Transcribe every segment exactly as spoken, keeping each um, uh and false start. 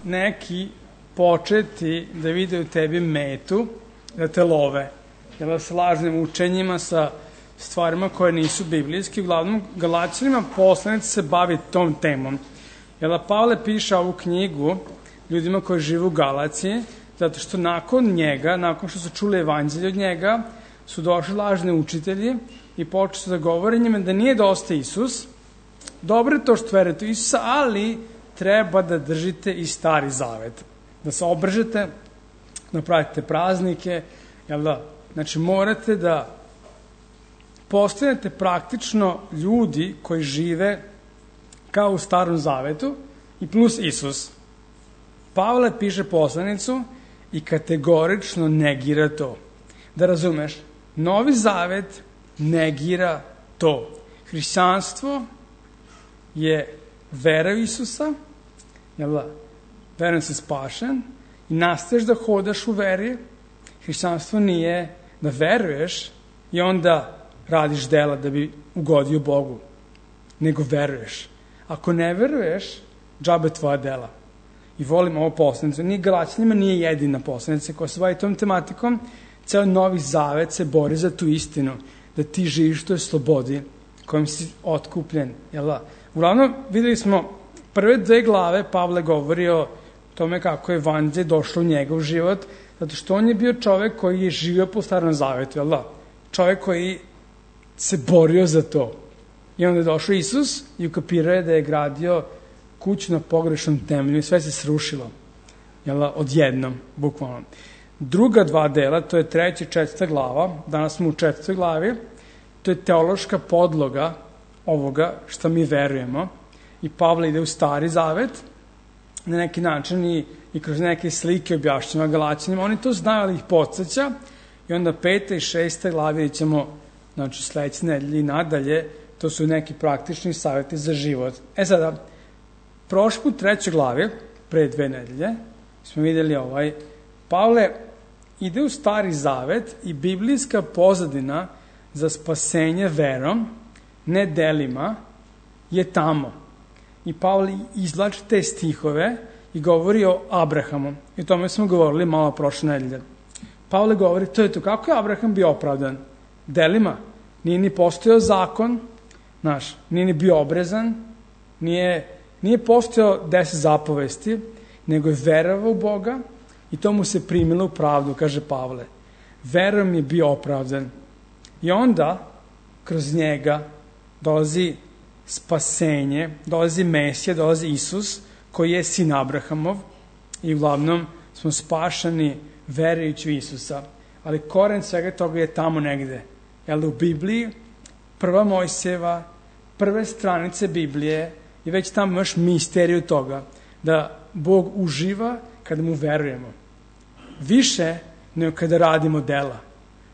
neki početi da vide u tebi metu, da te love, jel, sa lažnim učenjima, sa stvarima koje nisu biblijski. Uglavnom, Galaćanima poslanici se bavi tom temom. Jel, Pavle piše ovu knjigu ljudima koji žive u Galaciji, zato što nakon njega, nakon što su čuli evanđelje od njega, su došli lažni učitelji i počeli su da govore njima da nije dosta Isus. Dobro je to što verujete u Isusa, ali treba da držite i Stari Zavet. Da se obržete, da pravite praznike, jel da? Znači, morate da postanete praktično ljudi koji žive kao u Starom Zavetu i plus Isus. Pavle piše poslanicu i kategorično negira to. Da razumeš, Novi Zavet negira to. Hrišćanstvo je vera u Isusa, jel da? Verujem si spašen i nastaviš da hodaš u veri. Hrišćanstvo nije da veruješ i onda radiš dela da bi ugodio Bogu, nego veruješ. Ako ne veruješ, džabe tvoja dela. I volim ovo poslanicu. Ni Galaćanima nije jedina poslanica koja se bavi tom tematikom. Ceo Novi Zavet se bori za tu istinu, da ti živiš u toj slobodi kojom si otkupljen. Jel da? Uglavnom, videli smo prve dve glave, Pavle govori o tome kako je evanđelje došlo u njegov život, zato što on je bio čovek koji je živio po Starom Zavetu, jel da? Čovek koji se borio za to. I onda je došao Isus i ukapirao je da je gradio kuću na pogrešnom temelju i sve se srušilo. Jel da? Odjednom, bukvalno. Druga dva dela, to je treća i četvrta glava, danas smo u četvrtoj glavi, to je teološka podloga ovoga što mi verujemo. I Pavle ide u Stari Zavet, na neki način i, i kroz neke slike objašnjava Galaćanima. Oni to znaju, ali ih podsjeća. I onda peta i šesta glavi vidjet ćemo, znači, sledeće nedelje i nadalje, to su neki praktični savjeti za život. E sada, prošli put trećoj glavi, pre dve nedelje, smo vidjeli ovaj, Pavle ide u Stari Zavet i biblijska pozadina za spasenje verom, ne delima, je tamo. I Pavle izvlači te stihove i govori o Abrahamu. I o tome smo govorili malo prošle nedelje. Pavle govori, to je to, kako je Abraham bio opravdan? Delima. Nije ni postojao zakon, znaš, nije ni bio obrezan, nije, nije postojao deset zapovesti, nego je verovao u Boga i to mu se primilo u pravdu, kaže Pavle. Verom je bio opravdan. I onda, kroz njega, dolazi spasenje, dolazi Mesija, dolazi Isus, koji je sin Abrahamov i uglavnom smo spašani verujući u Isusa. Ali koren svega toga je tamo negde. Jel, u Bibliji, prva Mojsijeva, prve stranice Biblije i već tamo imaš misteriju toga, da Bog uživa kada mu verujemo. Više nego kada radimo dela.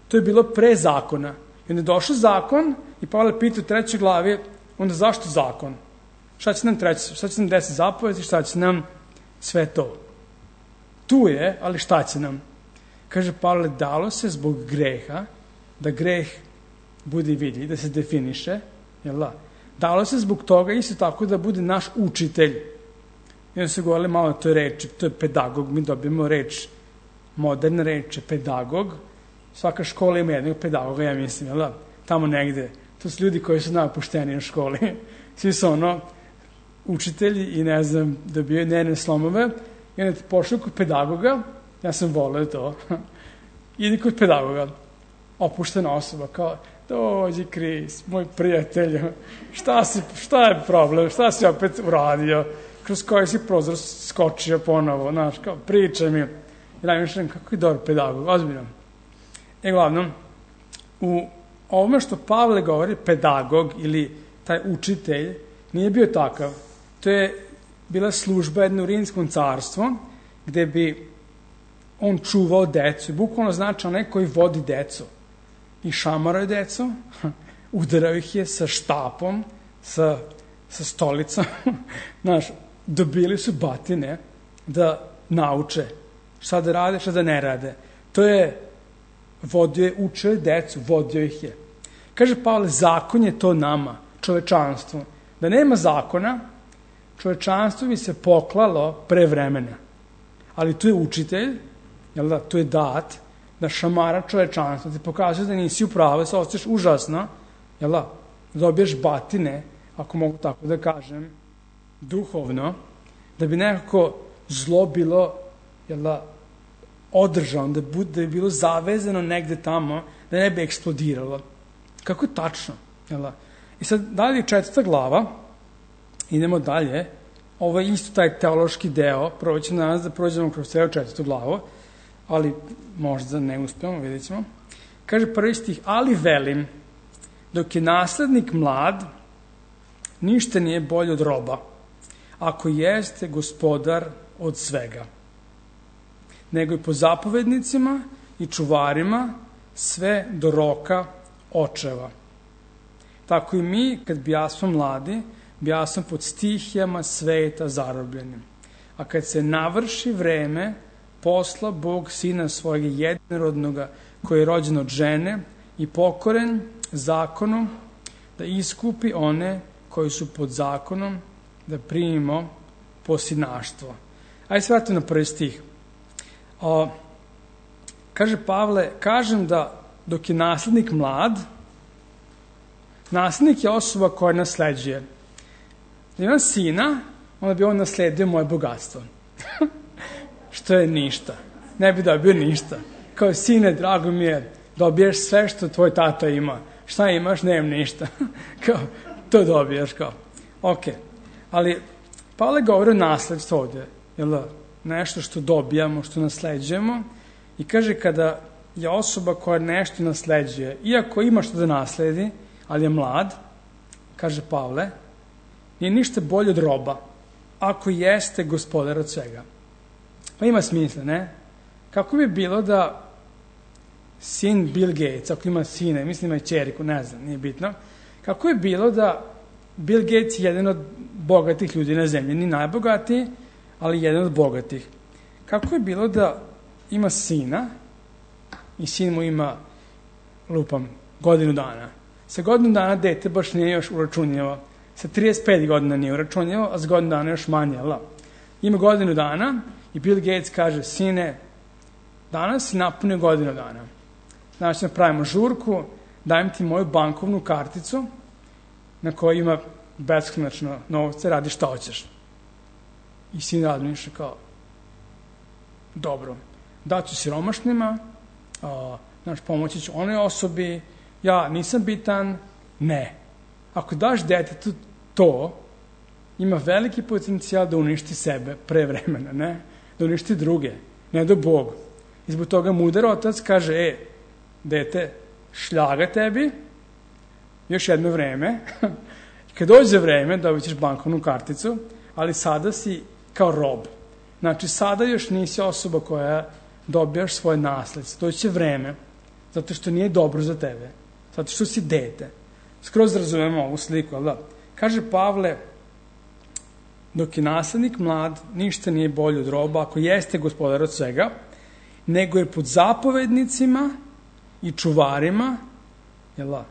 To je bilo pre zakona. I onda je došao zakon i Pavle pita u trećoj glavi, onda zašto zakon? Šta će nam treći? Šta će nam deset zapovesti? Šta će nam sve to? Tu je, ali šta će nam? Kaže Pavle, dalo se zbog greha, da greh bude vidljiv, da se definiše, jel da? Dalo se zbog toga isto tako da bude naš učitelj. I onda se govorili malo o toj reči, to je pedagog, mi dobijemo reč, moderna reč je pedagog. Svaka škola ima jednog pedagoga, ja mislim, jel da? Tamo negde. To su ljudi koji su napušteni u školi. Svi su ono, učitelji i ne znam, dobijaju nervne slomove. I onda pošli kod pedagoga, ja sam voleo to, idi kod pedagoga, opuštena osoba, kao, dođi Kris, moj prijatelj, šta, si, šta je problem, šta si opet uradio, kroz koji si prozor skočio ponovo, znaš, kao, pričaj mi. I najmišljam, kako je dobar pedagog, ozbiljno. E, glavno, u ovome što Pavle govori, pedagog ili taj učitelj, nije bio takav. To je bila služba jedno u Rimskom carstvu, gde bi on čuvao decu. Bukvalno znači onaj koji vodi decu. I šamarao je decu, udarao ih je sa štapom, sa, sa stolicom. Znaš, dobili su batine da nauče šta da rade, šta da ne rade. To je vodio je, učio je decu, vodio ih je. Kaže Pavle, zakon je to nama, čovečanstvu. Da nema zakona, čovečanstvo bi se poklalo pre vremena. Ali tu je učitelj, jel da, tu je dat, da šamara čovečanstvo, ti pokazuje da nisi u pravu, da se osjećaš užasno, jel da, dobiješ batine, ako mogu tako da kažem, duhovno, da bi nekako zlo bilo, jel da, održano, da, bude, da bi bilo zavezano negde tamo, da ne bi eksplodiralo. Kako je tačno, jel da? I sad, dalje četvrta glava, idemo dalje, ovo je isto taj teološki deo, prvo ćemo danas da prođemo kroz celu četvrtu glavu, ali možda ne uspemo, vidjet ćemo. Kaže prvi stih, ali velim, dok je naslednik mlad, ništa nije bolje od roba, ako jeste gospodar od svega, nego i po zapovednicima i čuvarima sve do roka očeva. Tako i mi, kad bjasmo mladi, bjasmo pod stihijama sveta zarobljenim. A kad se navrši vreme, posla Bog sina svojeg jedinorodnoga, koji je rođen od žene i pokoren zakonom, da iskupi one koji su pod zakonom, da primimo posinaštvo. Ajde se vratimo na prvi stih. O, kaže Pavle, kažem da dok je naslednik mlad, naslednik je osoba koja nasleđuje. Da imam sina, onda bi on nasledio moje bogatstvo. Što je ništa. Ne bi dobio ništa. Kao sine, drago mi je, dobiješ sve što tvoj tata ima. Šta imaš? Nemam ništa. Kao, to dobiješ kao. Ok. Ali Pavle govori o nasledstvu ovdje. Jel da? Nešto što dobijamo, što nasleđujemo. I kaže kada je osoba koja nešto nasleđuje, iako ima što da nasledi, ali je mlad, kaže Pavle, nije ništa bolje od roba, ako jeste gospodar od svega. Pa ima smisla, ne? Kako bi bilo da sin Bill Gates, ako ima sine, mislim ima i čeriku, ne znam, nije bitno, kako bi bilo da Bill Gates je jedan od bogatih ljudi na zemlji, ni najbogatiji, ali jedan od bogatih. Kako je bilo da ima sina i sin mu ima, lupam, godinu dana. Sa godinu dana dete baš nije još uračunjava. Sa trideset pet godina nije uračunjava, a sa godinu dana još manje. La. Ima godinu dana i Bill Gates kaže, sine, danas si napunio godinu dana. Znači, napravimo žurku, dajem ti moju bankovnu karticu na kojoj ima beskonačno novce, radi šta hoćeš. I sin razmišlja kao, dobro, daću siromašnima, a, znaš, pomoći ću onoj osobi, ja nisam bitan, ne. Ako daš detetu to, ima veliki potencijal da uništi sebe pre vremena, ne? Da uništi druge, ne do Bog. I zbog toga mudar otac kaže, e, dete, šljaga tebi, još jedno vreme, kad dođe vreme, dobit ćeš bankovnu karticu, ali sada si kao rob. Znači, sada još nisi osoba koja dobijaš svoje nasledstvo. To će vreme, zato što nije dobro za tebe, zato što si dete. Skroz razumemo ovu sliku, ali da? Kaže Pavle, dok je naslednik mlad, ništa nije bolje od roba, ako jeste gospodar od svega, nego je pod zapovednicima i čuvarima, jel da?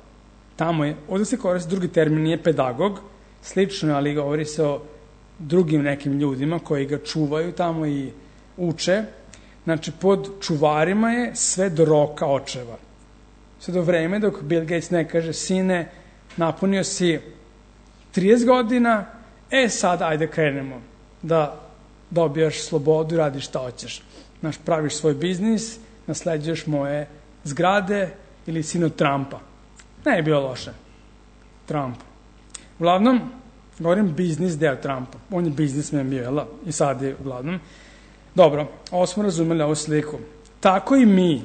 Tamo je, ovdje se koristi drugi termin, nije pedagog, slično, ali govori se o drugim nekim ljudima koji ga čuvaju tamo i uče. Znači, pod čuvarima je sve do roka očeva. Sve do vreme dok Bill Gates ne kaže, sine, napunio si trideset godina, e sad ajde krenemo da dobijaš slobodu i radiš šta hoćeš. Znaš, praviš svoj biznis, nasleđuješ moje zgrade ili sin od Trumpa. Ne je bilo loše. Trump. Uglavnom, govorim biznis deo Trumpa. On je biznismen bio, jel? I sad je uglavnom. Dobro, ovo smo razumeli ovu sliku. Tako i mi,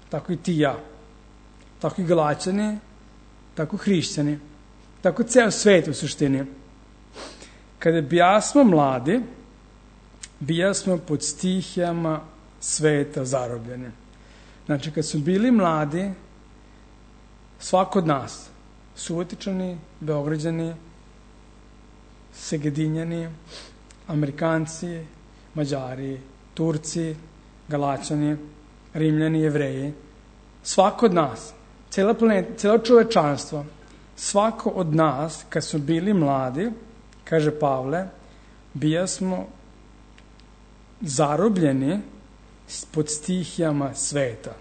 tako i ti i ja, tako i Galaćani, tako hrišćani, tako ceo svet u suštini. Kada bijasmo mladi, bijasmo pod stihijama sveta zarobljeni. Znači, kad su bili mladi, svako od nas, Subotičani, Beograđani, Segedinjani, Amerikanci, Mađari, Turci, Galaćani, Rimljani, Jevreji, svako od nas, cijela planeta, cijelo čovečanstvo, svako od nas, kad smo bili mladi, Kaže Pavle, bija smo zarobljeni pod stihijama sveta.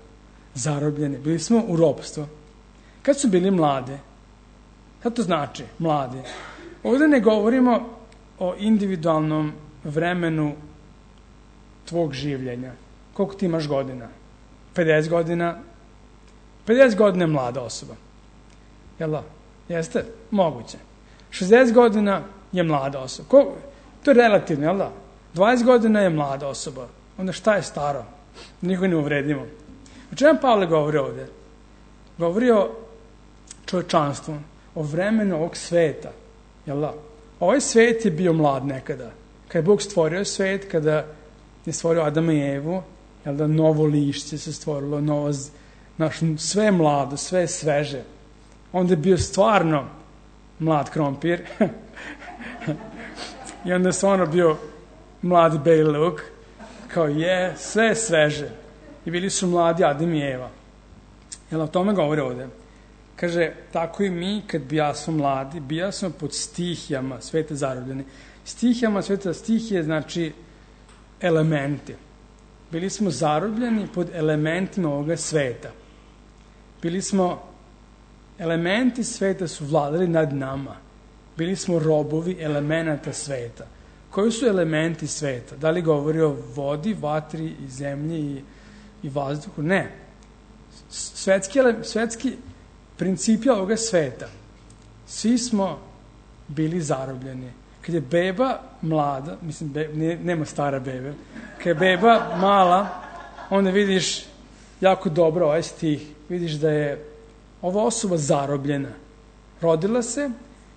Zarobljeni. Bili smo u ropstvu. Kad su bili mlade? Šta to znači, mladi? Ovdje ne govorimo o individualnom vremenu tvog življenja. Koliko ti imaš godina? pedeset godina? pedeset godina je mlada osoba. Jel da? Jeste? Moguće. šezdeset godina je mlada osoba. Ko? To je relativno, jel da? dvadeset godina je mlada osoba. Onda šta je staro? Nikoga ne uvredimo. O čemu Pavle govori ovdje? Govori o čovječanstvu, o vremenu ovog sveta. Jel da? Ovaj svet je bio mlad nekada. Kada je Bog stvorio svet, kada je stvorio Adama i Evu, jel da, novo lišće se stvorilo, novo, naš, sve je mlado, sve je sveže. Onda je bio stvarno mlad krompir. I onda je stvarno bio mlad Baby Luke. Kao je, sve je sveže. I bili su mladi Adam i Eva. Jel o tome govori ovdje? Kaže, tako i mi, kad bija smo mladi, bija smo pod stihijama sveta zarobljeni. Stihijama sveta, stihije znači elementi. Bili smo zarobljeni pod elementima ovoga sveta. Bili smo, elementi sveta su vladali nad nama. Bili smo robovi elemenata sveta. Koji su elementi sveta? Da li govori o vodi, vatri i zemlji i, i vazduhu? Ne. Svetski, svetski principi ovoga sveta. Svi smo bili zarobljeni. Kad je beba mlada, mislim, be, ne, nema stara bebe, kad je beba mala, onda vidiš jako dobro ovaj stih. Vidiš da je ova osoba zarobljena. Rodila se,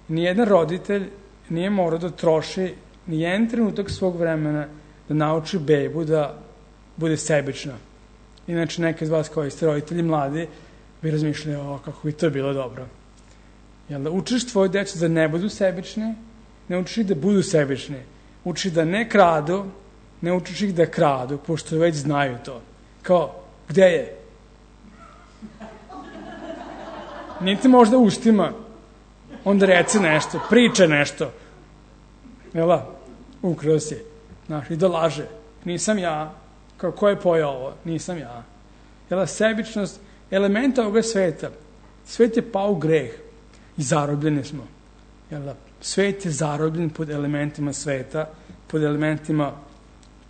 nijedan roditelj nije morao da troši nijedan trenutak svog vremena da nauči bebu da bude sebična. Inače, neki od vas koji ste roditelji mladi bi razmišljali, o, kako bi to bilo dobro. Jel da učiš tvoje djecu da ne budu sebični, ne učiš ih da budu sebični. Učiš da ne kradu, ne učiš ih da kradu, pošto već znaju to. Kao, gde je? Niti možda ustima, onda reci nešto, priče nešto. Jel da? Ukrao si. Znaš, i da laže. Nisam ja. Kao, ko je pojao ovo? Nisam ja. Jel da? Sebičnost, elementa ovoga sveta. Svet je pao u greh i zarobljeni smo. Jel da? Svet je zarobljen pod elementima sveta, pod elementima,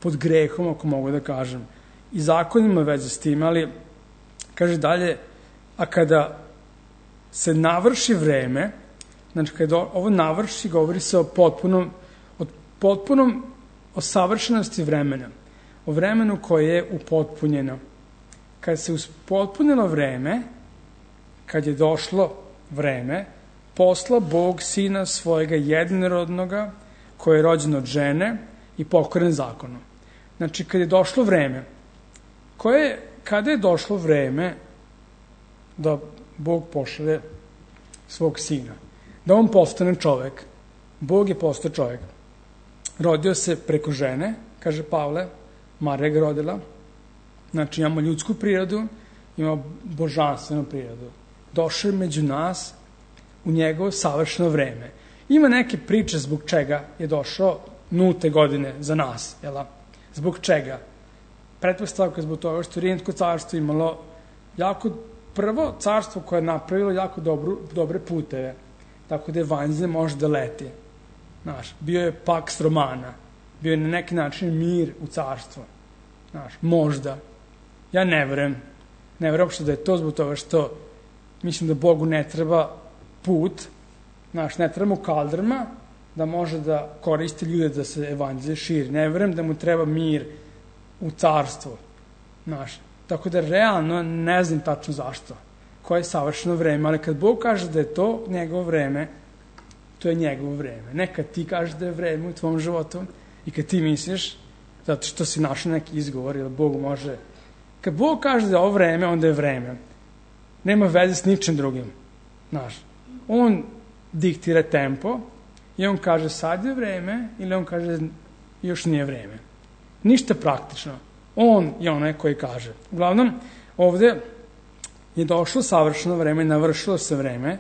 pod grehom, ako mogu da kažem. I zakonima veze s tim, ali kaže dalje, a kada se navrši vreme, znači kada ovo navrši, govori se o potpunom, o potpunom, o savršenosti vremena, o vremenu koje je upotpunjeno. Kada se uspotpunilo vreme, kad je došlo vreme, posla Bog sina svojega jedinorodnoga, koji je rođen od žene i pokoren zakonu. Znači, kad je došlo vreme, koje, kada je došlo vreme da Bog pošalje svog sina, da on postane čovek, Bog je postao čovek. Rodio se preko žene, kaže Pavle, Marija ga rodila. Znači, imamo ljudsku prirodu, imamo božanstvenu prirodu. Došao je među nas u njegovo savršeno vreme. Ima neke priče zbog čega je došao nulte godine za nas. Jel? Zbog čega? Pretpostavka zbog toga što Rimsko carstvo imalo jako prvo carstvo koje je napravilo jako dobru, dobre puteve. Tako da evanđelje može da leti. Znaš, bio je Pax Romana. Bio je na neki način mir u carstvu. Znaš, možda. Ja ne verujem. Ne verujem uopšte da je to zbog toga što mislim da Bogu ne treba put, znaš, ne treba mu kaldrma da može da koristi ljude da se evanđelje širi. Ne verujem da mu treba mir u carstvu. Znaš, tako da realno ne znam tačno zašto. Koje je savršeno vreme, ali kad Bog kaže da je to njegovo vreme, to je njegovo vreme. Ne kad ti kažeš da je vreme u tvom životu i kad ti misliš, zato što si našao neki izgovor, jer Bog može. Kad Bog kaže da je ovo vreme, onda je vreme. Nema veze s ničim drugim. Znaš, on diktira tempo i on kaže sad je vreme ili on kaže još nije vreme. Ništa praktično. On je onaj koji kaže. Uglavnom, ovdje je došlo savršeno vreme, navršilo se vreme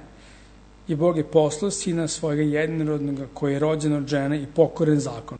i Bog je poslao sina svojega jednorodnoga koji je rođen od žene i pokoren zakon.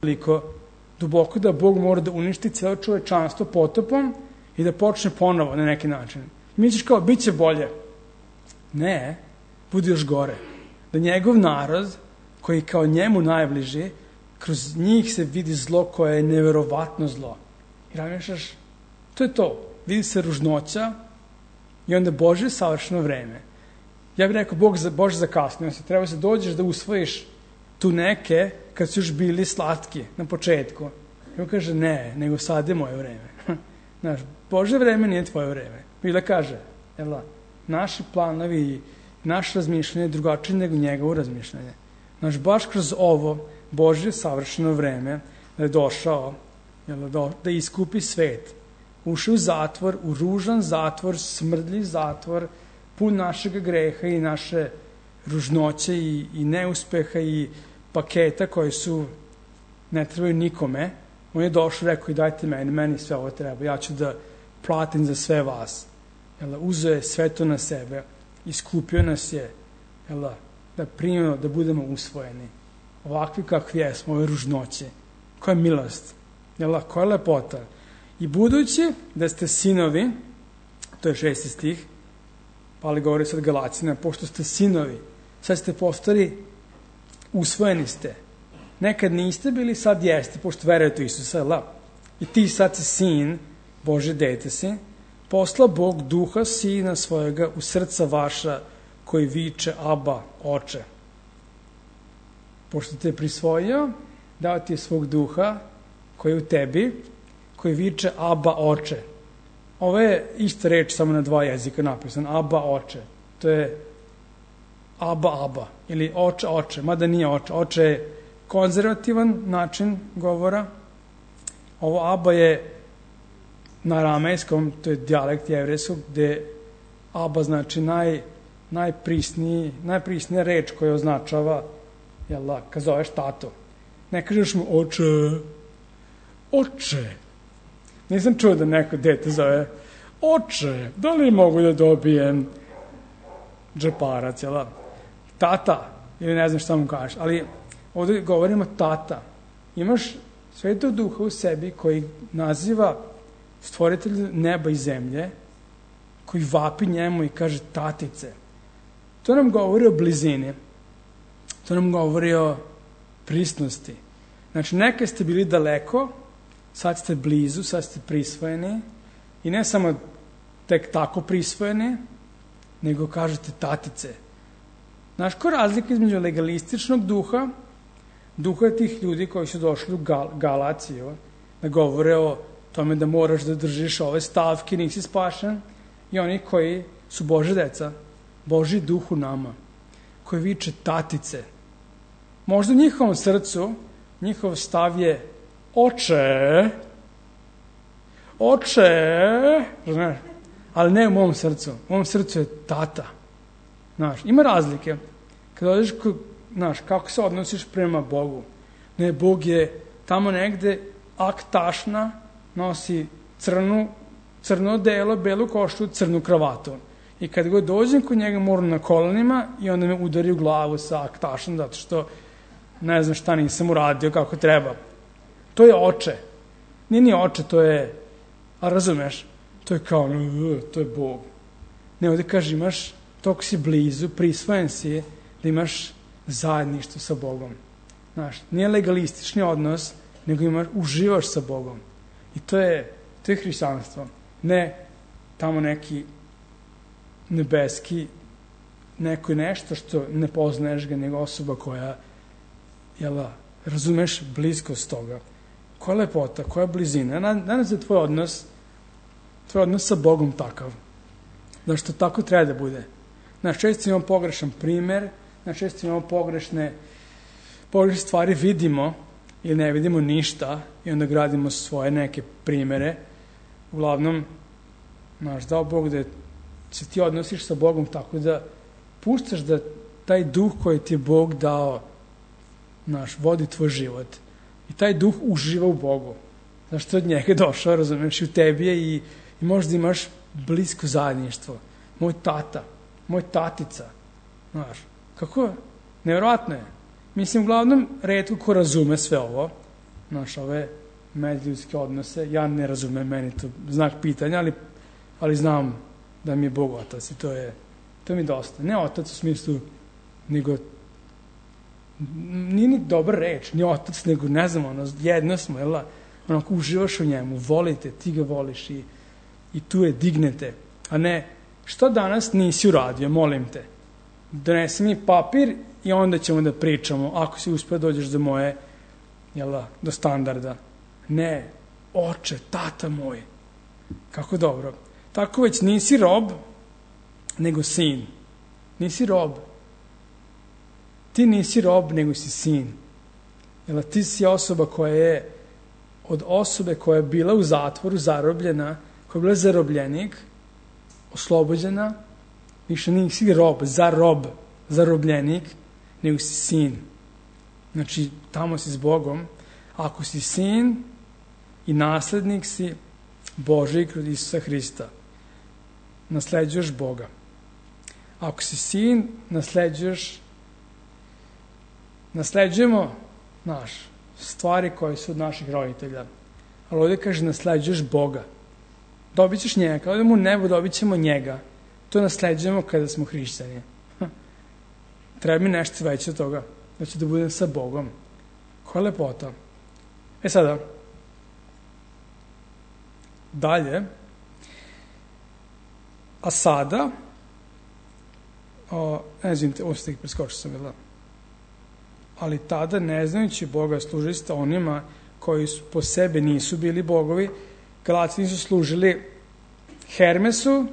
Toliko duboko da Bog mora da uništi celo čovečanstvo potopom i da počne ponovo na neki način. Misliš kao, bit će bolje. Ne, bude još gore. Da njegov narod, koji je kao njemu najbliži, kroz njih se vidi zlo koje je neverovatno zlo. I razmišljaš, to je to. Vidi se ružnoća i onda Božje savršeno vreme. Ja bih rekao, Bog za, Bože zakasnio se, treba se dođeš da usvojiš tu neke kad su još bili slatki na početku. I on kaže, ne, nego sad je moje vreme. Znaš, Božje vreme nije tvoje vreme. I da kaže, evo, naši planovi i naše razmišljanje je drugačije nego njegovo razmišljanje. Znaš, baš kroz ovo Božje savršeno vreme da je došao jel, da, da iskupi svet. Ušao u zatvor, u ružan zatvor, smrdljiv zatvor, pun našeg greha i naše ružnoće i, i neuspeha i paketa koji su ne trebaju nikome. On je došao i rekao i dajte meni, meni sve ovo treba, ja ću da platim za sve vas. Jel, uzeo je sve to na sebe, iskupio nas je, jel, da primimo, da budemo usvojeni. Ovakvi kakvi jesmo, ove ružnoće. Koja je milost, jel, koja je lepota. I budući da ste sinovi, to je šesti stih, ali govori sad Galacina, pošto ste sinovi, sad ste postali, usvojeni ste. Nekad niste bili, sad jeste, pošto verujete u Isusa, la. I ti sad si sin, Bože dete si, posla Bog duha sina svojega u srca vaša, koji viče Aba, oče. Pošto te je prisvojio, dao ti je svog duha, koji je u tebi, koji viče Aba, oče. Ovo je ista reč, samo na dva jezika napisan, Aba, oče. To je Aba, Aba, ili oče, oče, mada nije oče. Oče je konzervativan način govora. Ovo Aba je na aramejskom, to je dijalekt jevrejskog, gde Aba znači naj, najprisniji, najprisnija reč koja označava, jel da, kad zoveš tato. Ne kažeš mu oče, oče. Nisam čuo da neko dete zove oče, da li mogu da dobijem džeparac, jel da? Tata, ili ne znam šta mu kažeš, ali ovdje govorimo tata. Imaš Svetog Duha u sebi koji naziva stvoritelj neba i zemlje, koji vapi njemu i kaže tatice. To nam govori o blizini. To nam govori o prisnosti. Znači, nekad ste bili daleko, sad ste blizu, sad ste prisvojeni i ne samo tek tako prisvojeni, nego kažete tatice. Znaš, ko razlika između legalističnog duha, duha tih ljudi koji su došli u Gal Galaciju, da govore o tome da moraš da držiš ove stavke, nisi spašen, i oni koji su Božja deca, Božji duh u nama, koji viče tatice. Možda u njihovom srcu, njihov stav je oče, oče, znaš, ali ne u mom srcu. U mom srcu je tata. Znaš, ima razlike. Kad odeš, znaš, kako se odnosiš prema Bogu. Ne, Bog je tamo negde aktašna, nosi crnu, crno delo, belu koštu, crnu kravatu. I kad god dođem kod njega moram na kolenima i onda me udari u glavu sa aktašom, zato što ne znam šta nisam uradio kako treba. To je oče. Nije ni oče, to je, a razumeš, to je kao, to je Bog. Ne, ovdje kaže, imaš, toliko si blizu, prisvojen si, da imaš zajedništvo sa Bogom. Znaš, nije legalistični odnos, nego imaš, uživaš sa Bogom. I to je, to je hrišćanstvo. Ne tamo neki nebeski, neko nešto što ne poznaješ ga, nego osoba koja, jel, razumeš bliskost toga. Koja lepota, koja blizina. Danas je tvoj odnos, tvoj odnos sa Bogom takav. Da što tako treba da bude. Znaš, često imamo pogrešan primer, znaš, često imamo pogrešne, pogrešne stvari vidimo ili ne vidimo ništa i onda gradimo svoje neke primere. Uglavnom, znaš, dao Bog da se ti odnosiš sa Bogom tako da puštaš da taj duh koji ti je Bog dao, znaš, vodi tvoj život. I taj duh uživa u Bogu. Znaš, to od njega došao, razumiješ, i u tebi je i, i možda imaš blisko zajedništvo. Moj tata, moj tatica, znaš, kako, nevjerojatno je. Mislim, uglavnom, retko ko razume sve ovo, znaš, ove međuljudske odnose, ja ne razumem, meni to znak pitanja, ali, ali znam da mi je Bog otac i to je, to mi je dosta. Ne otac u smislu, nego, nije ni dobra reč, ni otac, nego, ne znam, ono, jedno smo, jel, onako, uživaš u njemu, volite, ti ga voliš i, i tu je, dignete, a ne, što danas nisi uradio, molim te, donesi mi papir i onda ćemo da pričamo, ako si uspio dođeš do moje, jel, do standarda. Ne, oče, tata moj, kako dobro. Tako već nisi rob, nego sin. Nisi rob. Ti nisi rob, nego si sin. Jel, ti si osoba koja je, od osobe koja je bila u zatvoru, zarobljena, koja je bila zarobljenik, oslobođena, više nisi rob, zarob, zarobljenik, nego si sin. Znači, tamo si s Bogom. Ako si sin i naslednik si Božji kroz Isusa Hrista, nasleđuješ Boga. Ako si sin, nasleđuješ, nasleđujemo, znaš, stvari koje su od naših roditelja. Ali ovdje kaže, nasleđuješ Boga. Dobit ćeš njega. Kada mu u nebo, dobit ćemo njega. to nasleđujemo kada smo hrišćani. Treba mi nešto veće od toga, da ću da budem sa Bogom. Koja lepota. E sada, dalje, a sada, o, ne znam, ovo ste ih preskočio sam, jel da? Ali tada, ne znajući Boga, služili ste onima koji su, po sebe nisu bili bogovi. Galatini su služili Hermesu,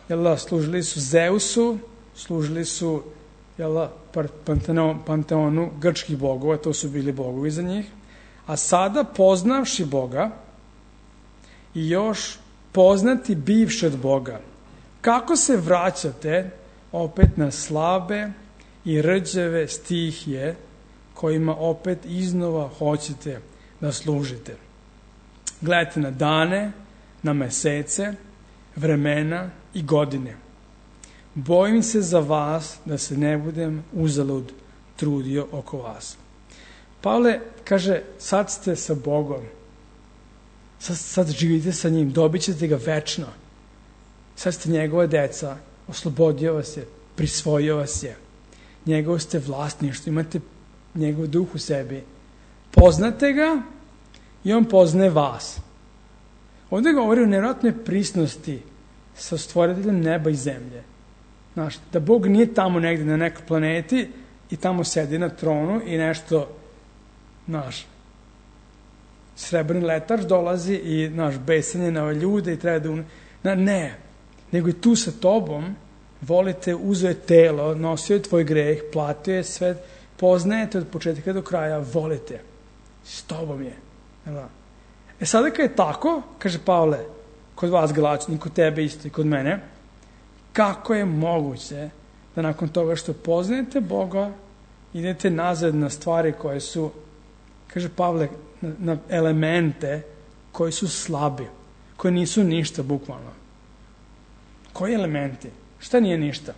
jel da, služili su Zeusu, služili su, jel da, Panteonu, Panteonu grčkih bogova, to su bili bogovi za njih. A sada, poznavši Boga i još poznati bivši od Boga, kako se vraćate opet na slabe i rđave stihije kojima opet iznova hoćete da služite? Gledajte na dane, na mesece, vremena i godine. Bojim se za vas da se ne budem uzalud trudio oko vas. Pavle kaže, sad ste sa Bogom, sad, sad živite sa njim, dobit ćete ga večno. Sad ste njegova deca, oslobodio vas je, prisvojio vas je. Njegovo ste vlasništvo, imate njegov duh u sebi. Poznate ga i on poznaje vas. Ovdje govori o nevjerojatnoj prisnosti sa stvoriteljem neba i zemlje. Znaš, da Bog nije tamo negdje na nekoj planeti i tamo sedi na tronu i nešto, znaš, srebrni letač dolazi i, znaš, besan je na ove ljude i treba da... Un... Na, ne, nego je tu sa tobom, volite, uzeo je telo, nosio je tvoj greh, platio je sve, poznajete od početka do kraja, volite. S tobom je. E sada kad je tako, kaže Pavle, kod vas Galačani, kod tebe isto i kod mene, kako je moguće da nakon toga što poznajete Boga, idete nazad na stvari koje su, kaže Pavle, na, na elemente koji su slabi, koji nisu ništa bukvalno. Koji elementi? Šta nije ništa?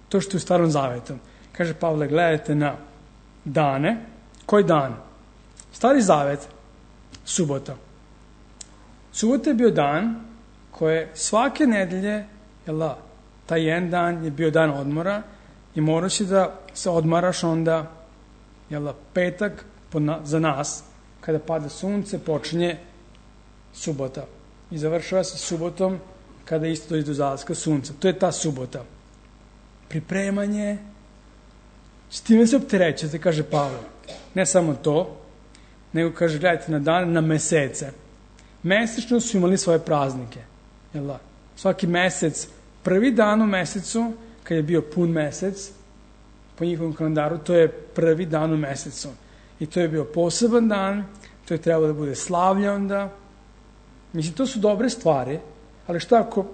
To što je u Starom Zavetu. Kaže Pavle, gledajte na dane. Koji dan? Stari Zavet, subota. Subota je bio dan koje svake nedelje, jel da, taj jedan dan je bio dan odmora i moraš da se odmaraš onda, jel da, petak na, za nas, kada pada sunce, počinje subota. I završava se subotom kada isto dođe do zalaska sunca. To je ta subota. Pripremanje, s time se opterećete, kaže Pavle. Ne samo to, nego kaže, gledajte na dan, na mesece. Mesečno su imali svoje praznike. Jel da? Svaki mesec, prvi dan u mesecu, kad je bio pun mesec, po njihovom kalendaru, to je prvi dan u mesecu. I to je bio poseban dan, to je trebalo da bude slavlje onda. Mislim, to su dobre stvari, ali šta ako,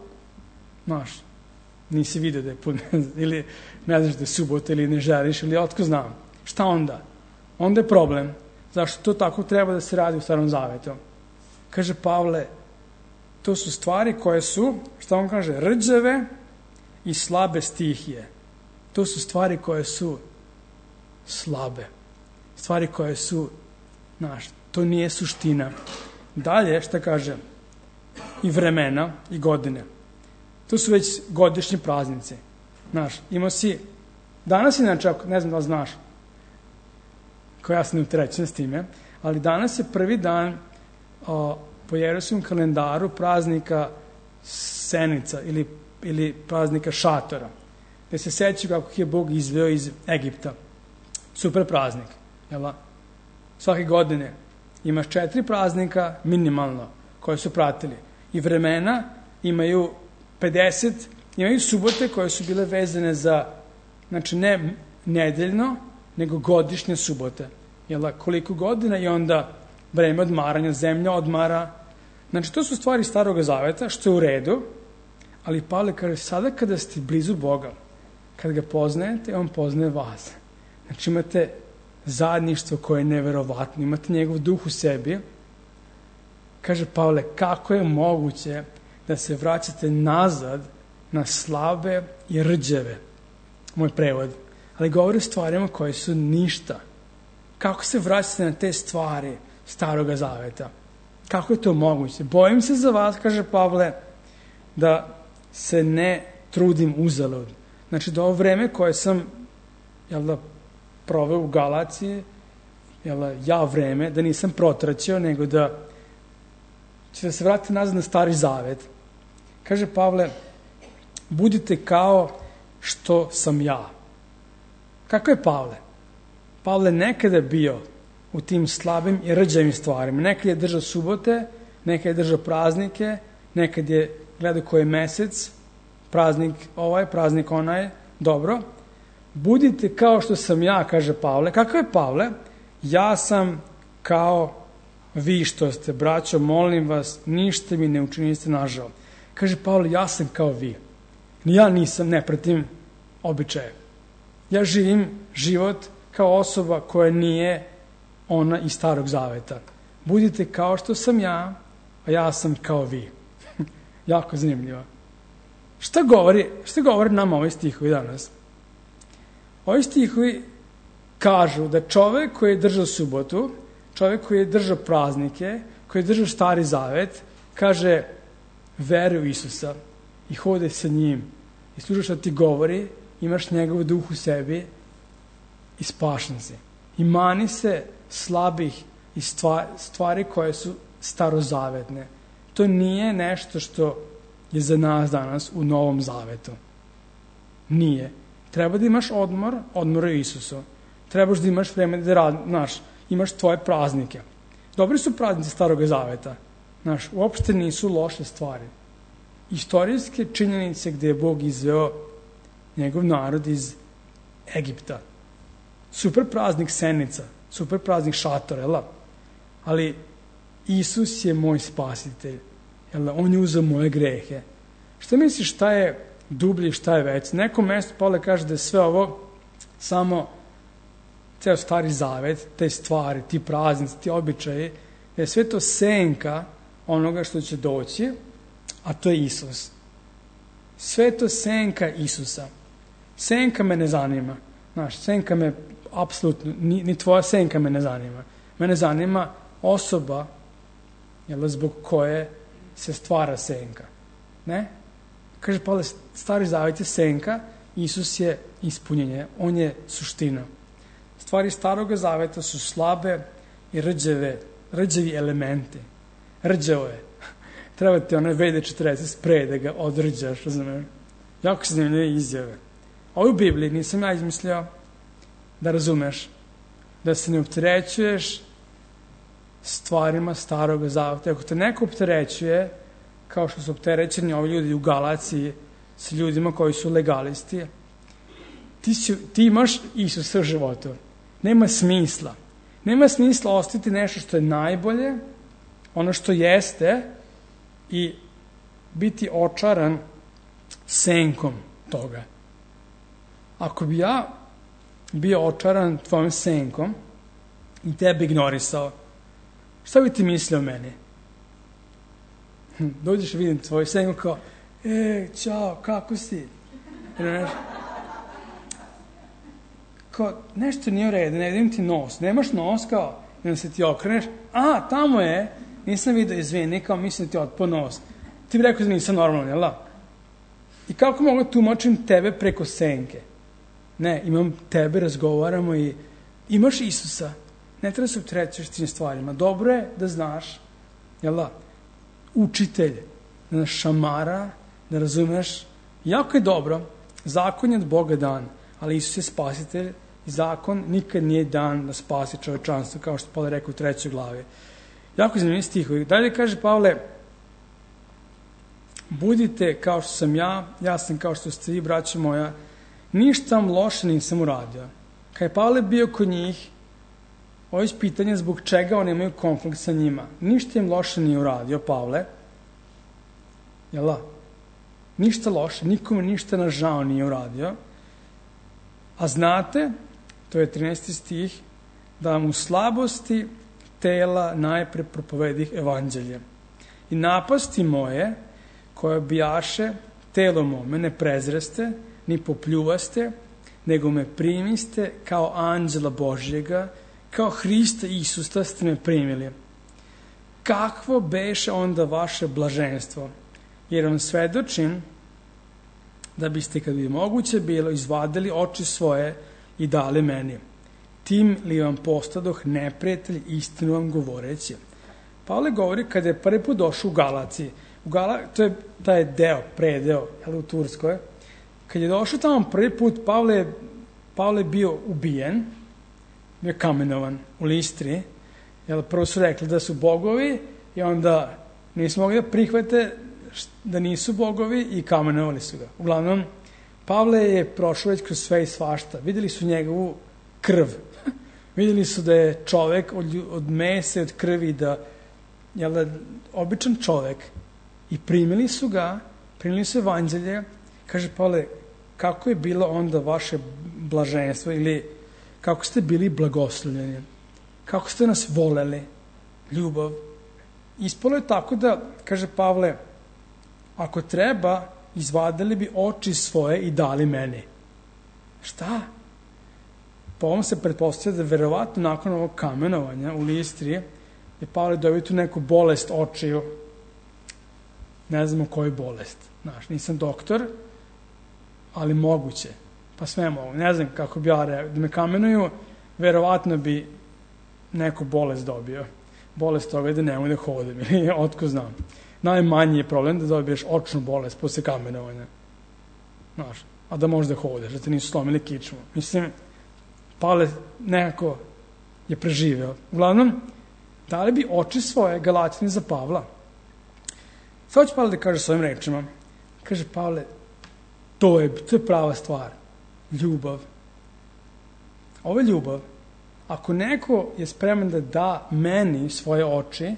znaš, nisi vidio da je pun mesec, ili ne znaš da je subota, ili ne želiš, ili otko znam. Šta onda? Onda je problem. Zašto to tako treba da se radi u Starom Zavetu? Kaže Pavle, to su stvari koje su, šta on kaže, rđave i slabe stihije. To su stvari koje su slabe. Stvari koje su, znaš, to nije suština. Dalje, šta kaže, i vremena i godine. To su već godišnji praznici. Znaš, imao si, danas inače, ne znam da li znaš, koja ja sam neutrećen s time, ali danas je prvi dan o, po Jerusalimskom kalendaru praznika Senica ili, ili praznika Šatora, gde se sećaju kako je Bog izveo iz Egipta. Super praznik. Jel? Svake godine imaš četiri praznika minimalno koje su pratili. I vremena imaju pedeset, imaju subote koje su bile vezane za, znači ne nedeljno, nego godišnje subote. Jel, koliko godina i onda vreme odmaranja, zemlja odmara. Znači, to su stvari Starog Zaveta, što je u redu, ali Pavle kaže, sada kada ste blizu Boga, kad ga poznajete, on poznaje vas. Znači, imate zajedništvo koje je neverovatno, imate njegov duh u sebi. Kaže Pavle, kako je moguće da se vraćate nazad na slabe i rđeve? Moj prevod. Ali govori o stvarima koje su ništa. Kako se vraćate na te stvari Staroga Zaveta? Kako je to moguće? Bojim se za vas, kaže Pavle, da se ne trudim uzalud. Znači da ovo vreme koje sam jel da, proveo u Galaciji, jel da, ja vreme, da nisam protraćio, nego da će da se vrati nazad na Stari Zavet. Kaže Pavle, budite kao što sam ja. Kako je Pavle? Pavle nekada bio u tim slabim i rđavim stvarima. Nekad je držao subote, nekad je držao praznike, nekad je gledao koji je mesec, praznik ovaj, praznik onaj, dobro. Budite kao što sam ja, kaže Pavle. Kako je Pavle? Ja sam kao vi što ste, braćo, molim vas, ništa mi ne učiniste nažao. Kaže Pavle, ja sam kao vi. Ja nisam, ne pratim običaje. Ja živim život kao osoba koja nije ona iz Starog Zaveta. Budite kao što sam ja, a ja sam kao vi. Jako zanimljivo. Šta govori, šta govori nama ovi stihovi danas? Ovi stihovi kažu da čovek koji je držao subotu, čovek koji je držao praznike, koji je držao Stari Zavet, kaže, veruj u Isusa i hode sa njim i slušaš što ti govori, imaš njegov duh u sebi i spašen si. I mani se slabih i stvari koje su starozavetne. To nije nešto što je za nas danas u Novom Zavetu. Nije. Treba da imaš odmor, odmor u Isusu. Trebaš da imaš vreme da radi, znaš, imaš tvoje praznike. Dobri su praznici Starog Zaveta. Znaš, uopšte nisu loše stvari. Istorijske činjenice gde je Bog izveo njegov narod iz Egipta. Super praznik Senica, super praznik Šator, jel? Ali Isus je moj spasitelj. Jel? On je uzeo moje grehe. Šta misliš šta je dublje, šta je već? Neko mesto Pavle kaže da je sve ovo samo ceo Stari Zavet, te stvari, ti praznici, ti običaji, da je sve to senka onoga što će doći, a to je Isus. Sve to senka Isusa. Senka me ne zanima. Znaš, senka me apsolutno, ni, ni tvoja senka me ne zanima. Mene zanima osoba, jel, zbog koje se stvara senka. Ne? Kaže Pavle, Stari Zavet je senka, Isus je ispunjenje, on je suština. Stvari Starog Zaveta su slabe i rđave, rđavi elementi. Rđavo je. Treba ti onaj V D četrdeset sprej da ga odrđaš, razumiješ? Jako se zanimljive izjave. Ovo u Bibliji nisam ja izmislio, da razumeš, da se ne opterećuješ stvarima Starog Zaveta. Ako te neko opterećuje, kao što su opterećeni ovi ljudi u Galaciji sa ljudima koji su legalisti, ti, si, ti imaš Isusa u životu. Nema smisla. Nema smisla ostaviti nešto što je najbolje, ono što jeste, i biti očaran senkom toga. Ako bi ja bio očaran tvojom senkom i tebe ignorisao, šta bi ti mislio o meni? Hm, dođeš i vidim tvoju senku kao, e, čao, kako si? Ne, kao, nešto nije u redu, ne vidim ti nos, nemaš nos, kao, i onda se ti okreneš, a, tamo je, nisam vidio, izvini, kao, mislim da ti otpao nos. Ti bi rekao da nisam normalno, jel da? I kako mogu tumačim tebe preko senke? Ne, imam tebe, razgovaramo i imaš Isusa. Ne treba se opterećuješ tim stvarima. Dobro je da znaš, jel da, učitelj, da nas šamara, da razumeš. Jako je dobro, zakon je od Boga dan, ali Isus je spasitelj i zakon nikad nije dan da spasi čovečanstvo, kao što Pavle rekao u trećoj glavi. Jako zanimljiv stihovi. Dalje kaže Pavle, budite kao što sam ja, ja sam kao što ste vi, braćo moja, ništa vam loše nisam uradio. Kad je Pavle bio kod njih, ovo je pitanje zbog čega oni imaju konflikt sa njima. Ništa im loše nije uradio Pavle. Jel da? Ništa loše, nikome ništa na žao nije uradio. A znate, to je trinaesti stih, da vam u slabosti tela najpre propovedih evanđelje. I napasti moje, koje bijaše telo mome, ne prezreste, ni popljuvaste, nego me primiste kao anđela Božjega, kao Hrista Isusta ste me primili. Kakvo beše onda vaše blaženstvo? Jer vam svedočim da biste, kad bi moguće bilo, izvadili oči svoje i dali meni. Tim li vam postadoh neprijatelj, istinu vam govoreći. Pavle govori kada je prvi put došao u Galaciji. U Gala, to je taj deo, predeo, jel, u Turskoj. Kad je došao tamo prvi put, Pavle je, Pavle je bio ubijen, bio kamenovan u Listri. Jel, prvo su rekli da su bogovi i onda nisu mogli da prihvate da nisu bogovi i kamenovali su ga. Uglavnom, Pavle je prošao već kroz sve i svašta. Videli su njegovu krv. Videli su da je čovek od, od mese, od krvi, da je običan čovek. I primili su ga, primili su evanđelje. Kaže Pavle, kako je bilo onda vaše blaženstvo ili kako ste bili blagoslovljeni? Kako ste nas voleli? Ljubav. Ispalo je tako da, kaže Pavle, ako treba, izvadili bi oči svoje i dali meni. Šta? Po ovom se pretpostavlja da verovatno nakon ovog kamenovanja u Listri je Pavle dobio tu neku bolest očiju. Ne znamo koju bolest. Znaš, nisam doktor, ali moguće. Pa sve mogu. Ne znam kako bi ja rekao. Da me kamenuju, verovatno bi neku bolest dobio. Bolest toga je da ne mogu da hodim. Ili otko znam. Najmanji je problem da dobiješ očnu bolest posle kamenovanja. Znaš, a da možeš da hodeš, da te nisu slomili kičmu. Mislim, Pavle nekako je preživeo. Uglavnom, dali bi oči svoje Galatini za Pavla. Sad će Pavle da kaže svojim rečima. Kaže Pavle, to je, to je prava stvar. Ljubav. Ovo je ljubav. Ako neko je spreman da da meni svoje oči,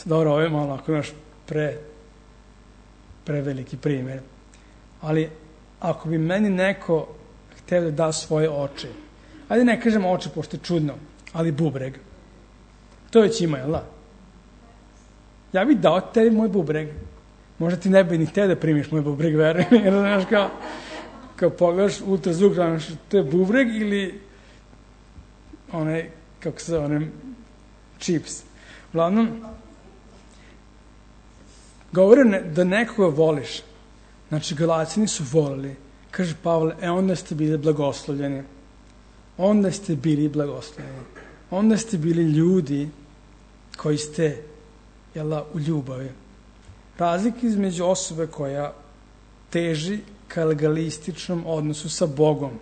dobro, ovo je malo ako imaš pre, preveliki primjer, ali ako bi meni neko hteo da da svoje oči, ajde ne kažem oči pošto je čudno, ali bubreg, to već ima, jel da? Ja bih dao tebi moj bubreg, možda ti ne bi ni hteo da primiš moj bubreg, verujem, jer znaš kao, kao pogledaš ultrazvuk, znaš, to je bubreg ili onaj, kako se zove, onaj čips. Uglavnom, govore ne, da nekoga voliš. Znači, Galacini su volili. Kaže Pavle, e onda ste bili blagoslovljeni. Onda ste bili blagoslovljeni. Onda ste bili ljudi koji ste, jel, u ljubavi. Razlika između osobe koja teži ka legalističnom odnosu sa Bogom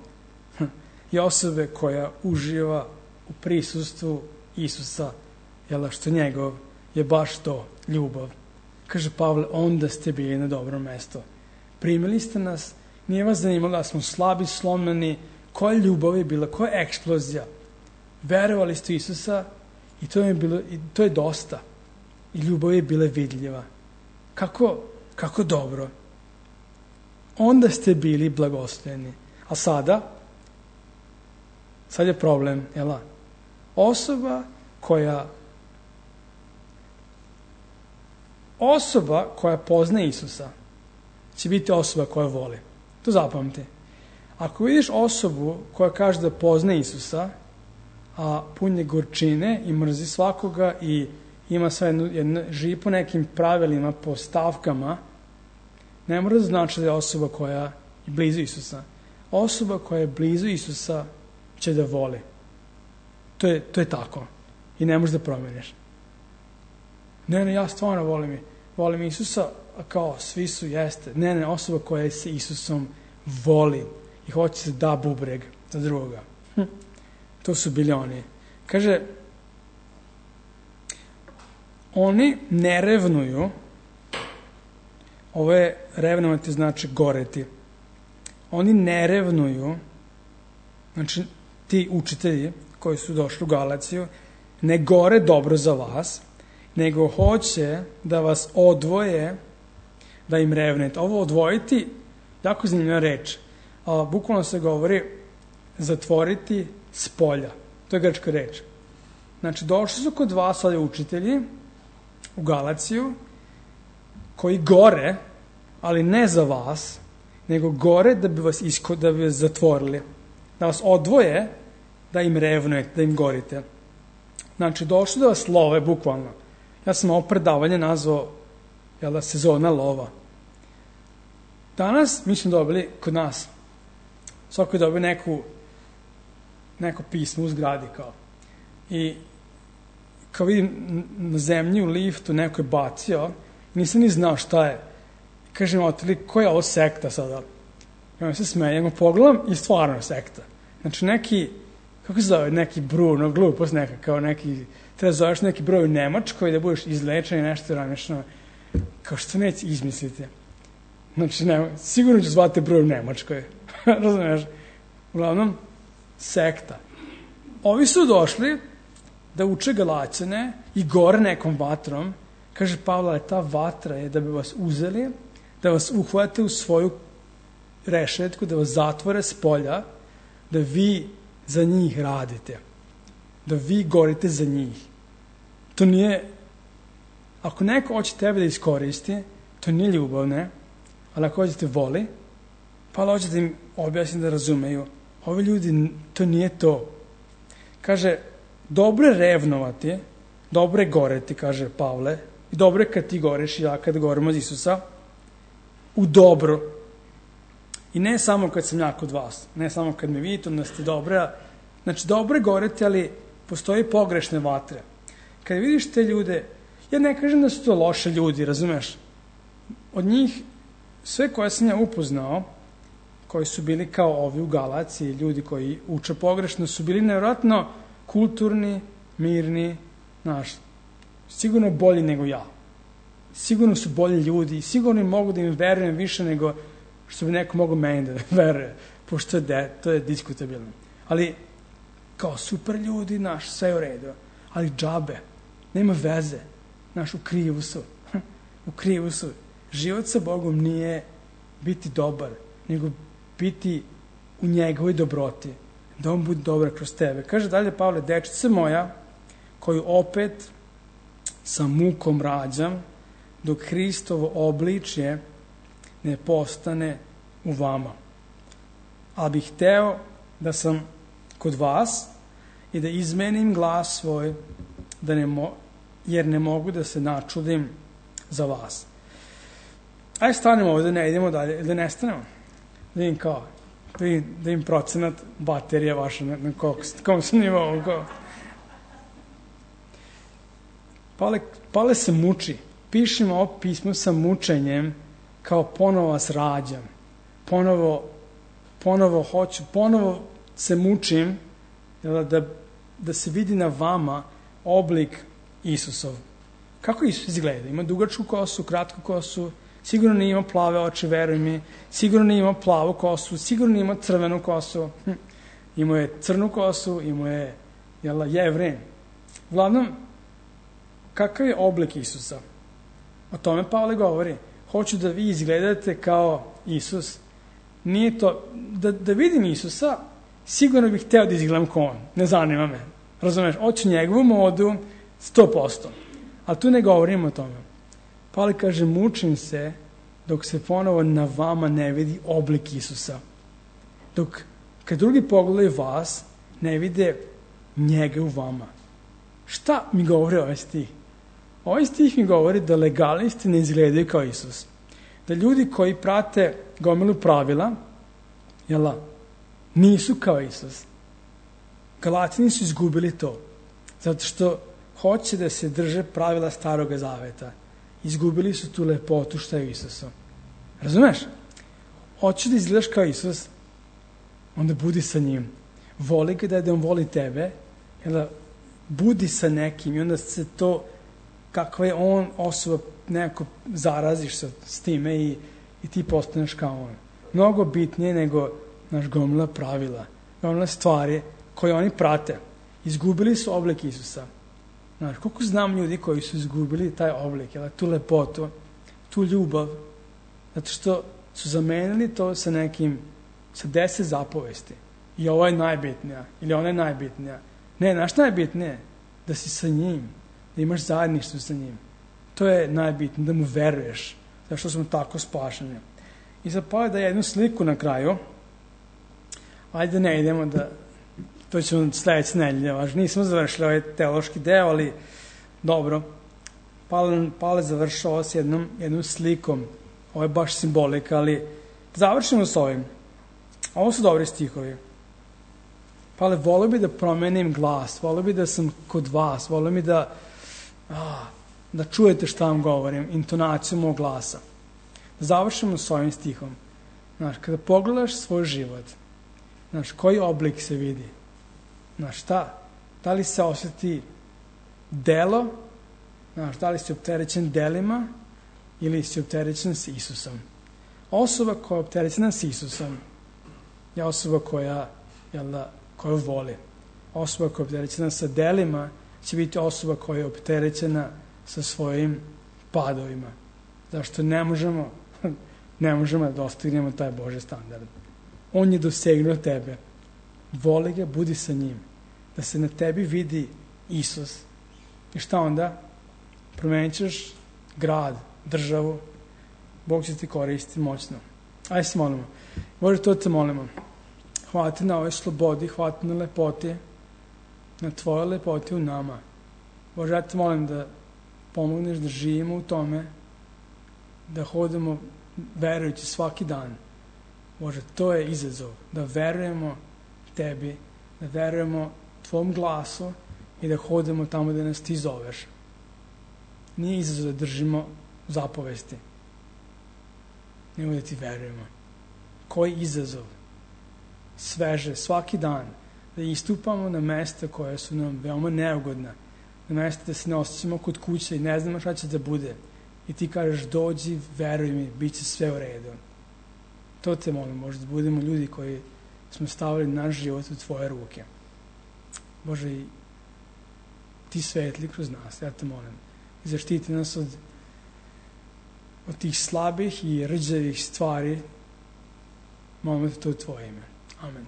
i osobe koja uživa u prisustvu Isusa, jel, što njegov je baš to, ljubav. Kaže Pavle, onda ste bili na dobro mesto. Primili ste nas, nije vas zanimalo da smo slabi, slomljeni, koja ljubav je bila, koja eksplozija. Verovali ste Isusa i to je, bilo, i to je dosta. I ljubav je bila vidljiva. Kako, kako dobro. Onda ste bili blagoslovljeni. A sada, sad je problem, jel? Osoba koja Osoba koja pozna Isusa će biti osoba koja voli. To zapamti. Ako vidiš osobu koja kaže da pozna Isusa, a pun je gorčine i mrzi svakoga i ima sve jedno, jedno, živi po nekim pravilima, po stavkama, ne mora da znači da je osoba koja je blizu Isusa. Osoba koja je blizu Isusa će da voli. To je, to je tako. I ne možeš da promeniš. Ne, ne, ja stvarno volim, volim Isusa, a kao svi su, jeste. Ne, ne, osoba koja se Isusom voli i hoće se da bubreg za drugoga. Hm. To su bili oni. Kaže, oni ne revnuju, ovo je revnovati znači goreti. Oni ne revnuju, znači ti učitelji koji su došli u Galaciju, ne gore dobro za vas, nego hoće da vas odvoje, da im revnete. Ovo odvojiti, jako zanimljiva reč. A, bukvalno se govori zatvoriti s polja. To je grčka reč. Znači, došli su kod vas ovdje učitelji u Galaciju, koji gore, ali ne za vas, nego gore da bi vas, isko, da bi vas zatvorili. Da vas odvoje, da im revnujete, da im gorite. Znači, došli da vas love, bukvalno. Ja sam ovo predavanje nazvao, jel da, sezona lova. Danas mi smo dobili kod nas, svako je dobio neku, neko pismo u zgradi kao. I kao vidim na zemlji u liftu neko je bacio, nisam ni znao šta je. Kažem, otili, koja je ovo sekta sada? Ja mi se smejem, pogledam i stvarno je sekta. Znači neki, kako se zove, neki Bruno, glupost neka, kao neki, treba zoveš neki broj u Nemačkoj da budeš izlečen i nešto ranično, kao što neće izmislite. Znači, ne, sigurno ću zvati broj u Nemačkoj. Razumiješ? Uglavnom, sekta. Ovi su došli da uče Galaćane i gore nekom vatrom. Kaže Pavle, ta vatra je da bi vas uzeli, da vas uhvate u svoju rešetku, da vas zatvore s polja, da vi za njih radite. Da vi gorite za njih. To nije, ako neko hoće tebe da iskoristi, to nije ljubav, ne? Ali ako hoćete voli, pa hoćete im objasniti da razumeju. Ovi ljudi, to nije to. Kaže, dobro je revnovati, dobro je goreti, kaže Pavle, i dobro je kad ti goreš i ja kad gorim od Isusa, u dobro. I ne samo kad sam ja kod vas, ne samo kad me vidite, onda ste dobre. Znači, dobro je goreti, ali postoji pogrešne vatre. Kad vidiš te ljude, ja ne kažem da su to loše ljudi, razumeš? Od njih, sve koje sam ja upoznao, koji su bili kao ovi u Galaciji, ljudi koji uče pogrešno, su bili nevjerojatno kulturni, mirni, znaš, sigurno bolji nego ja. Sigurno su bolji ljudi, sigurno mogu da im verujem više nego što bi neko mogo meni da veruje, pošto je de, to je diskutabilno. Ali, kao super ljudi, naš, sve je u redu, ali džabe, nema veze, naš, u krivu su, u krivu su. Život sa Bogom nije biti dobar, nego biti u njegovoj dobroti, da on bude dobar kroz tebe. Kaže dalje Pavle, dečice moja, koju opet sa mukom rađam, dok Hristovo obličje ne postane u vama. Ali bih hteo da sam kod vas i da izmenim glas svoj, da ne mo, jer ne mogu da se načudim za vas. Ajde stanemo ovdje, ne idemo dalje, da ne stanemo. Da im kao, da im, da im procenat baterija vaša na, na kom sam nivou. Pale, Pale se muči. Pišem ovo pismo sa mučenjem, kao ponovo vas rađam. Ponovo, ponovo hoću, ponovo se mučim da, da se vidi na vama oblik Isusov. Kako Isus izgleda? Ima dugačku kosu, kratku kosu, sigurno nije imao plave oči, veruj mi, sigurno nije imao plavu kosu, sigurno nije imao crvenu kosu, hm. Imao je crnu kosu, imao je, jel, Jevrin. Uglavnom, kakav je oblik Isusa? O tome Pavle govori. Hoću da vi izgledate kao Isus. Nije to, da, da vidim Isusa, sigurno bih hteo da izgledam kao on. Ne zanima me. Razumeš? Hoću njegovu modu sto posto. Ali tu ne govorimo o tome. Pavle kaže, mučim se dok se ponovo na vama ne vidi oblik Isusa. Dok kad drugi pogledaju vas, ne vide njega u vama. Šta mi govori ovaj stih? Ovaj stih mi govori da legalisti ne izgledaju kao Isus. Da ljudi koji prate gomilu pravila, jela, nisu kao Isus. Galatini su izgubili to. Zato što hoće da se drže pravila Staroga Zaveta. Izgubili su tu lepotu šta je u Isusu. Razumeš? Hoćeš da izgledaš kao Isus, onda budi sa njim. Voli ga da on voli tebe, jela, budi sa nekim i onda se to, kakva je on osoba, nekako zaraziš se s time i, i ti postaneš kao on. Mnogo bitnije nego naš gomila pravila, gomila stvari koje oni prate. Izgubili su oblik Isusa. Znaš, koliko znam ljudi koji su izgubili taj oblik, jel, tu lepotu, tu ljubav, zato što su zamenili to sa nekim, sa deset zapovesti. I ovo je najbitnija, ili ona je najbitnija. Ne, naš najbitnije da si sa njim, da imaš zajedništvo sa njim. To je najbitnije, da mu veruješ, zašto smo tako spašeni. I sad pa da jednu sliku na kraju, ajde ne idemo da, to ćemo sledeće nedelje, važno, nismo završili ovaj teološki deo, ali dobro. Pale, Pale završao ovo s jednom, jednom slikom, ovo je baš simbolika, ali Završimo s ovim. Ovo su dobri stihovi. Pa ali volio bi da promenim glas, volio bi da sam kod vas, volio bi da, a, da čujete šta vam govorim, intonaciju mog glasa. Da završimo s ovim stihom. Znaš, kada pogledaš svoj život, znaš, koji oblik se vidi? Znaš, šta? Da li se osjeti delo? Znaš, da li si opterećen delima ili si opterećen s Isusom? Osoba koja je opterećena s Isusom je osoba koja, jel da, koju voli. Osoba koja je opterećena sa delima će biti osoba koja je opterećena sa svojim padovima. Zašto ne možemo, ne možemo da dostignemo taj Božji standard. On je dosegnuo tebe. Voli ga, budi sa njim. Da se na tebi vidi Isus. I šta onda? Promenit ćeš grad, državu. Bog će ti koristiti moćno. Ajde se molimo. Bože, to te molimo. Hvala ti na ovoj slobodi, hvala ti na lepoti, na tvojoj lepoti u nama. Bože, ja te molim da pomogneš da živimo u tome, da hodamo verujući svaki dan. Bože, to je izazov, da verujemo tebi, da verujemo tvom glasu i da hodamo tamo da nas ti zoveš. Nije izazov da držimo zapovesti, nego da ti verujemo. Koji izazov? Sveže, svaki dan, da istupamo na mesta koja su nam veoma neugodna, na mesta da se ne osjećamo kod kuće i ne znamo šta će da bude. I ti kažeš, dođi, veruj mi, bit će sve u redu. To te molim, možda budemo ljudi koji smo stavili naš život u tvoje ruke. Bože, i ti svetli kroz nas, ja te molim. I zaštiti nas od, od tih slabih i rđavih stvari. Molim te to u tvoje ime. Amen.